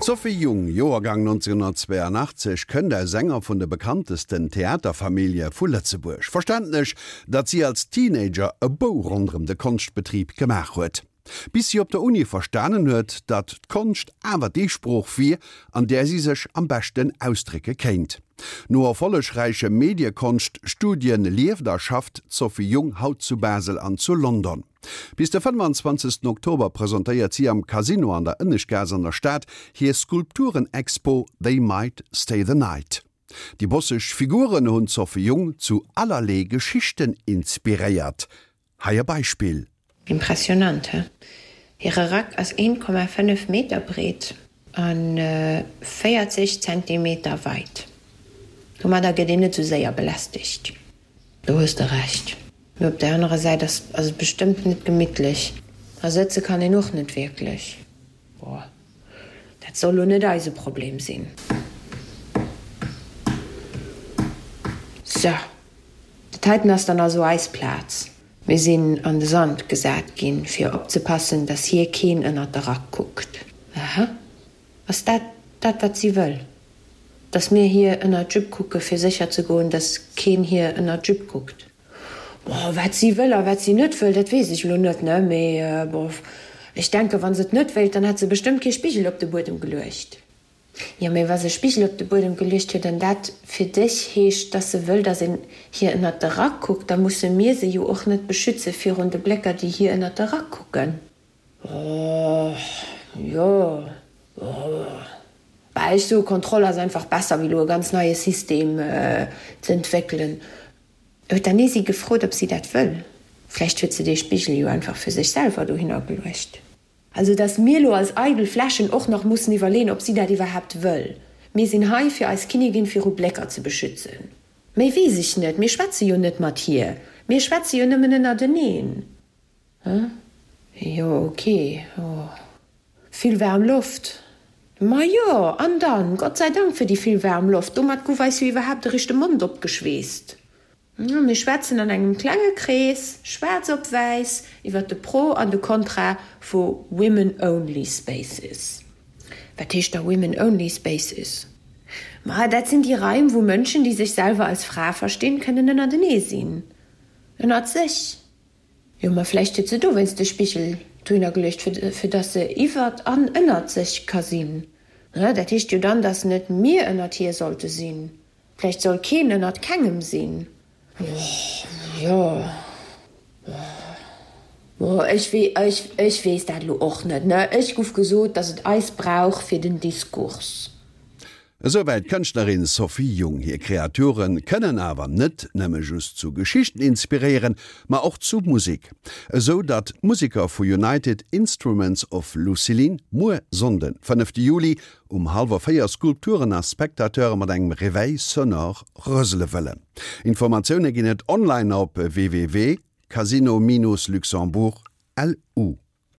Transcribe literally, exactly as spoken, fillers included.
D'Sophie Jung, Joergang nonzénhunnertzweeanachtzeg, kënnt aus enger vun de bekanntesten Theaterfamillje vu Lëtzebuerg. Verständlech, datt si als Teenager e Bou ronderëm de Konschtbetrib gemaach huet. Bis si op der Uni verstanen huet, datt d'Konscht awer déi Sprooch wier, an där si sech am beschten ausdrécke kéint. No erfollegräiche Mediekonscht-Studien lieft a schafft d'Sophie Jung haut zu Basel an zu London. Bis de fënnwanzwanzegsten Oktober presentéiert si am Casino an der Ënneschtgaass an der Stad hir Skulpturen-Expo They Might Stay the Night. Déi bosseg Figuren hunn d'Sophie Jung zu allerlee Geschichten inspiréiert. Hei e Beispill. Impressionant, he? Hire Rack ass een Komma fënnef Meter breet a véierzeg Zentimeter weit. Domadder gëtt een net sou séier belästegt. Do hues de Recht. Mee op der anerer Säit ass et bestëmmt net gemittlech. A sëtze kann een och net wierklech. Boah, dat soll lo net eise Problem sinn. Sou, dat heiten ass dann also eis Plaz. Mir sinn an de Sand gesat ginn, fir opzepassen, dass hir keen ënnert de Rack kuckt. Aha, ass dat dat, wat si wëll? Dass mir hir ënnert d'Jupe kucke fir sécher ze goen, dass keen hir ënnert d'Jupe kuckt. Bon, wat si wëll a wat si net wëll, dat weess ech elo net, ne? Mee bon, ech denken, wa se et net wéilt, dann hätt se bestëmmt kee Spigel op de Buedem geluecht. Jo, mee wa se e Spigel op de Buedem geluecht huet an dat fir dech heescht, dass se wëll, dass een hir ënnert de Rack kuckt, da musse mir se jo och net beschütze virun de Blécker, déi hir ënnert de Rack kucken. Oh, jo, oh. Bah, ech soe Kontroll ass einfach besser wéi elo e ganz neie System ze entwéckelen. Huet d'Anesi gefrot, ob si dat wëll? Vläicht huet se dee Spigel jo einfach fir sech selwer dohinner geluecht. Also dass mir elo als eidel Fläschen och nach mussen iwwerleeën, ob si dat iwwerhaapt wëll. Mir sinn hei, fir eis Kinnigin viru Blécker ze beschützen. Méi weess ech net. Mir schwätze jo net mat hir. Mir schwätze jo nëmmen ënnerteneen. Hä? Jo, ok. Oh. Vill waarm Loft. Ma jo, an dann, Gott sei Dank fir déi vill waarm Loft, domat guff eis jo iwwerhaapt eréischt de Mond opgeschweesst. Mir schwätzen an engem klenge Krees, schwaarz op wäiss, iwwer de Pro an de Kontra vu Women Only Spaces. Wat heescht da Women Only Spaces? Ma dat sinn déi Raim, wou Mënschen, déi sech selwer als Fra verstinn, kënnen ënnertenee sinn. Ënnert sech. Jo, ma vläicht huet se dowéinst de Spigel dohinner geluecht, fir fir dass se iwwert an ënnert sech ka sinn. Ne, dat heescht jo dann, dass net mir ënnert hir sollte sinn. Vläicht soll keen ënnert kengem sinn. Oh, jo. Oh, ech wee, ech, ech weess dat elo och net, ne. Ech guff gesot, dass et eis brauch fir den Diskurs. Esouwäit d'Kënschtlerin Sophie Jung. Hir Kreature kënnen awer net nëmme just zu Geschichten inspiréieren, ma och zu Musek. Esou datt d'Museker vu United Instruments of Lucilin muer Sonnden, fënnefte Juli, um hallwer véier Skulpturen a Spectateure mat engem Réveil sonore rësele wëllen. Informatioune ginn et online op www.casino-luxembourg. Lu.